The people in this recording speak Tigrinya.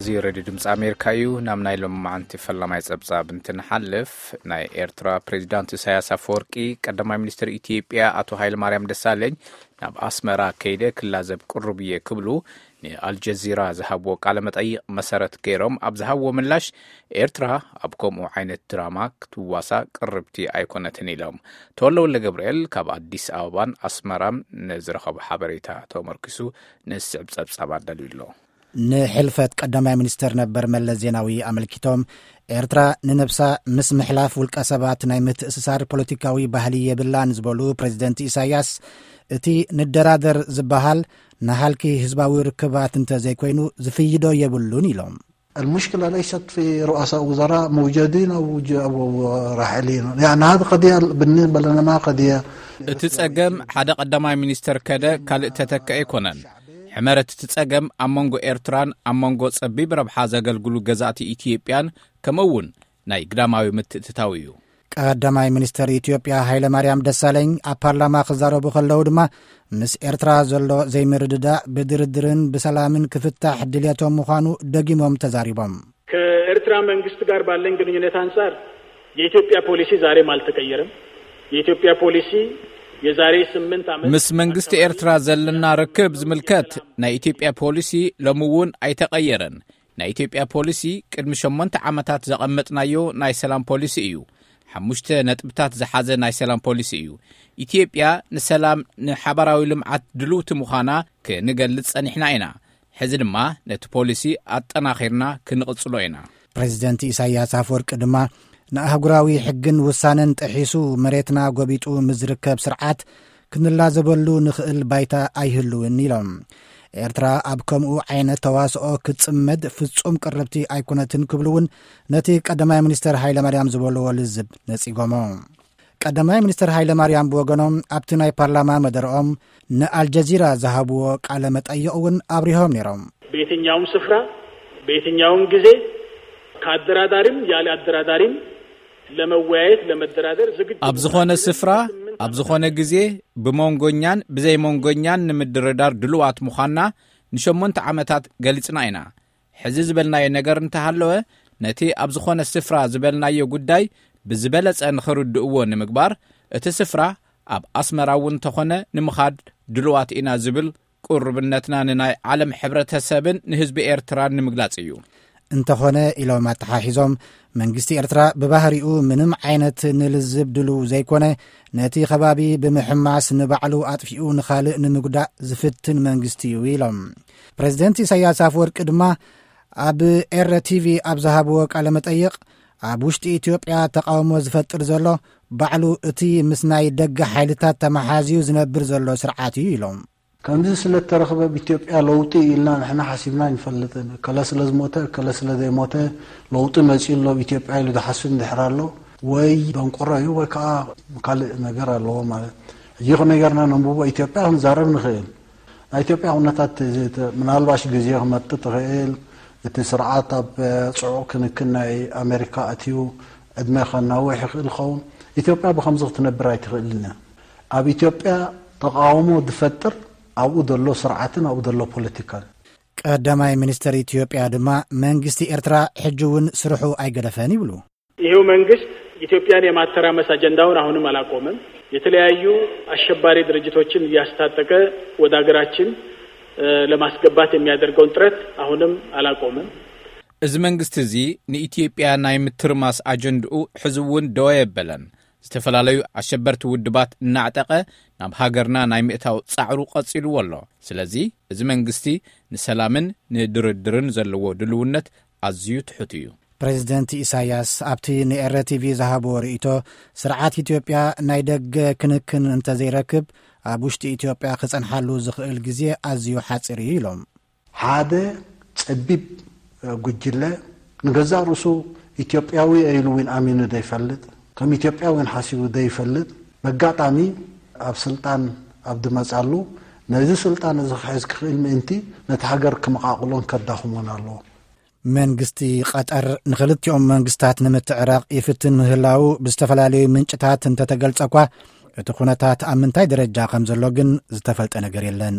እዚ ሬድዮ ድምፂ ኣሜሪካ እዩ። ናብ ናይ ሎማዓንቲ ፈላማይ ፀብፃብ እንትንሓልፍ፣ ናይ ኤርትራ ፕሬዚዳንት ኢሳያስ ኣፈወርቂ ቀዳማይ ሚኒስትር ኢትዮጵያ ኣቶ ሃይለማርያም ደሳለኝ ናብ ኣስመራ ከይደ ክላዘብ ቅሩብ እየ ክብሉ ንኣልጀዚራ ዝሃብዎ ቃለ መጠይቕ መሰረት ገይሮም ኣብ ዝሃብዎ ምላሽ፣ ኤርትራ ኣብ ከምኡ ዓይነት ድራማ ክትዋሳ ቅርብቲ ኣይኮነትን ኢሎም። ተወልደ ወልደ ገብርኤል ካብ ኣዲስ ኣበባን ኣስመራን ንዝረኸቦ ሓበሬታ ተመርኪሱ ንስዕብ ጸብጻብ ኣዳልዩ ኣሎ። ንሕልፈት ቀዳማይ ሚኒስተር ነበር መለስ ዜናዊ ኣመልኪቶም፣ ኤርትራ ንነብሳ ምስ ምሕላፍ ውልቀ ሰባት ናይ ምትእስሳር ፖለቲካዊ ባህሊ የብላን ዝበሉ ፕሬዚደንት ኢሳያስ፣ እቲ ንደራደር ዝበሃል ንሃልኪ ህዝባዊ ርክባት እንተ ዘይኮይኑ ዝፍይዶ የብሉን ኢሎም። المشكلة ليست في رؤساء وزراء موجودين أو ج-، أو راحلين. يعني هذه قضية بالنسبة لنا ما قضية. እቲ ጸገም ሓደ ቀዳማይ ሚኒስተር ከደ ካልእ ተተክአ ኣይኮነን። ሕመረት እቲ ጸገም ኣብ መንጎ ኤርትራን ኣብ መንጎ ጸቢብ ረብሓ ዘገልግሉ ገዛእቲ ኢትዮጵያን ከምኡ እውን ናይ ግዳማዊ ምትእትታው እዩ። ቀዳማይ ሚኒስተር ኢትዮጵያ ሃይለማርያም ደሳለኝ ኣብ ፓርላማ ክዛረቡ ከለዉ ድማ፣ ምስ ኤርትራ ዘሎ ዘይምርድዳእ ብድርድርን ብሰላምን ክፍታሕ ድልየቶም ምዃኑ ደጊሞም ተዛሪቦም። ከኤርትራ መንግስት ጋር ባለን ግንኙነት አንጻር የኢትዮጵያ ፖሊሲ ዛሬም አልተቀየረም። የኢትዮጵያ ፖሊሲ የዛሬ ስምንት ዓመት ምስ መንግስቲ ኤርትራ ዘለና ርክብ ዝምልከት ናይ ኢትዮጵያ ፖሊሲ ሎሚ እውን ኣይተቐየረን። ናይ ኢትዮጵያ ፖሊሲ ቅድሚ ሸሞንተ ዓመታት ዘቐመጥናዮ ናይ ሰላም ፖሊሲ እዩ። ሓሙሽተ ነጥብታት ዝሓዘ ናይ ሰላም ፖሊሲ እዩ። ኢትዮጵያ ንሰላም፣ ንሓባራዊ ልምዓት ድልውቲ ምዃና ክንገልጽ ጸኒሕና ኢና። ሕዚ ድማ ነቲ ፖሊሲ ኣጠናኺርና ክንቕጽሎ ኢና። ፕሬዚደንት ኢሳያስ ኣፈወርቂ ድማ ንኣህጉራዊ ሕግን ውሳነን ጥሒሱ መሬትና ጎቢጡ ምስ ዝርከብ ስርዓት ክንላዘበሉ ንኽእል ባይታ ኣይህልውን ኢሎም። ኤርትራ ኣብ ከምኡ ዓይነት ተዋስኦ ክትጽመድ ፍጹም ቅርብቲ ኣይኮነትን ክብሉ እውን ነቲ ቀዳማይ ሚኒስተር ሃይለማርያም ዝበልዎ ልዝብ ነጺጎሞ። ቀዳማይ ሚኒስተር ሃይለማርያም ብወገኖም ኣብቲ ናይ ፓርላማ መደረኦም ንኣልጀዚራ ዝሃብዎ ቃለ መጠይቕ እውን ኣብሪሆም ነይሮም። በየትኛውም ስፍራ በየትኛውም ጊዜ ከአደራዳሪም ያለ አደራዳሪም ለመወያየት ለመደራደር ዝግጁ ኣብ ዝኾነ ስፍራ ኣብ ዝኾነ ግዜ ብመንጎኛን ብዘይመንጎኛን ንምድርዳር ድልዋት ምዃንና ንሸሞንተ ዓመታት ገሊጽና ኢና። ሕዚ ዝበልናዮ ነገር እንተሃለወ፣ ነቲ ኣብ ዝኾነ ስፍራ ዝበልናዮ ጉዳይ ብዝበለጸ ንኽርድእዎ ንምግባር፣ እቲ ስፍራ ኣብ ኣስመራ እውን እንተኾነ ንምኻድ ድልዋት ኢና ዝብል ቅሩብነትና ንናይ ዓለም ሕብረተሰብን ንህዝቢ ኤርትራን ንምግላጽ እዩ። እንተኾነ ኢሎም ኣተሓሒዞም፣ መንግስቲ ኤርትራ ብባህሪኡ ምንም ዓይነት ንልዝብ ድልው ዘይኮነ፣ ነቲ ከባቢ ብምሕማስ ንባዕሉ ኣጥፊኡ ንኻልእ ንምጉዳእ ዝፍትን መንግስቲ እዩ ኢሎም። ፕሬዚደንት ኢሳያስ ኣፈወርቂ ድማ ኣብ ኤረ ቲቪ ኣብ ዝሃብዎ ቃለ መጠይቕ፣ ኣብ ውሽጢ ኢትዮጵያ ተቃውሞ ዝፈጥር ዘሎ ባዕሉ እቲ ምስ ናይ ደገ ሓይልታት ተመሓዝዩ ዝነብር ዘሎ ስርዓት እዩ ኢሎም። ከምዚ ስለ እተረኽበ ኣብ ኢትዮጵያ ለውጢ ኢልና ንሕና ሓሲብና ኣይንፈልጥን። እከለ ስለ ዝሞተ፣ እከለ ስለ ዘይሞተ ለውጢ መጺኡ ኣሎ ኣብ ኢትዮጵያ ኢሉ ዝሓስብ እንድሕር ኣሎ፣ ወይ ደንቆሮ እዩ ወይ ከዓ ካልእ ነገር ኣለዎ ማለት። ሕጂ ከመይ ጌርና ነንብቦ ኢትዮጵያ ክንዛረብ ንኽእል። ናይ ኢትዮጵያ ኩነታት እዚ ተ-፣ ምናልባሽ ግዜ ክመጽእ ትኽእል። እቲ ስርዓት ኣብ ጽዑቕ ክንክን ናይ ኣሜሪካ ኣትዩ ዕድመ ከናውሕ ይኽእል ይኸውን። ኢትዮጵያ ብኸምዚ ክትነብር ኣይትኽእልን እያ። ኣብ ኢትዮጵያ ተቃውሞ ዝፈጥር ኣብኡ ዘሎ ስርዓትን ኣብኡ ዘሎ ፖለቲካን። ቀዳማይ ሚኒስተር ኢትዮጵያ ድማ መንግስቲ ኤርትራ ሕጂ እውን ስርሑ ኣይገደፈን ይብሉ። ይሄው መንግስት ኢትዮጵያን የማተራመስ አጀንዳውን አሁንም አላቆመም። የተለያዩ አሸባሪ ድርጅቶችን እያስታጠቀ ወደ ሀገራችን፣ እ፣ ለማስገባት የሚያደርገውን ጥረት አሁንም አላቆመም። እዚ መንግስቲ እዚ ንኢትዮጵያ ናይ ምትርማስ ኣጀንድኡ ሕዚ እውን ደው ኣየበለን። ዝተፈላለዩ ኣሸበርቲ ውድባት እናዕጠቐ ናብ ሃገርና ናይ ምእታው ጻዕሩ ቀጺልዎ ኣሎ። ስለዚ እዚ መንግስቲ ንሰላምን ንድርድርን ዘለዎ ድልውነት ኣዝዩ ትሑት እዩ። ፕሬዚደንት ኢሳያስ ኣብቲ ንኤረ ቲቪ ዝሃብዎ ርእይቶ፣ ስርዓት ኢትዮጵያ ናይ ደገ ክንክን እንተዘይረክብ፣ ኣብ ውሽጢ ኢትዮጵያ ክጸንሓሉ ዝኽእል ግዜ ኣዝዩ ሓጺር እዩ ኢሎም። ሓደ ጸቢብ ጉጅለ ንገዛእ ርእሱ ኢትዮጵያዊ ኢሉ እውን ኣሚኑ ዘይፈልጥ፣ ከም ኢትዮጵያ እውን ሓሲቡ ዘይፈልጥ፣ በጋጣሚ ኣብ ስልጣን ኣብ ዝመጻሉ፣ ነዚ ስልጣን እዚ ክሕዝ ክኽእል ምእንቲ ነቲ ሃገር ክመቓቕሎን ከዳኽሞን ኣለዎ። መንግስቲ ቀጠር ንኽልቲኦም መንግስታት ንምትዕራቕ ይፍትን ምህላዉ ብዝተፈላለዩ ምንጭታት እንተተገልጸ እኳ፣ እቲ ኩነታት ኣብ ምንታይ ደረጃ ከም ዘሎ ግን ዝተፈልጠ ነገር የለን።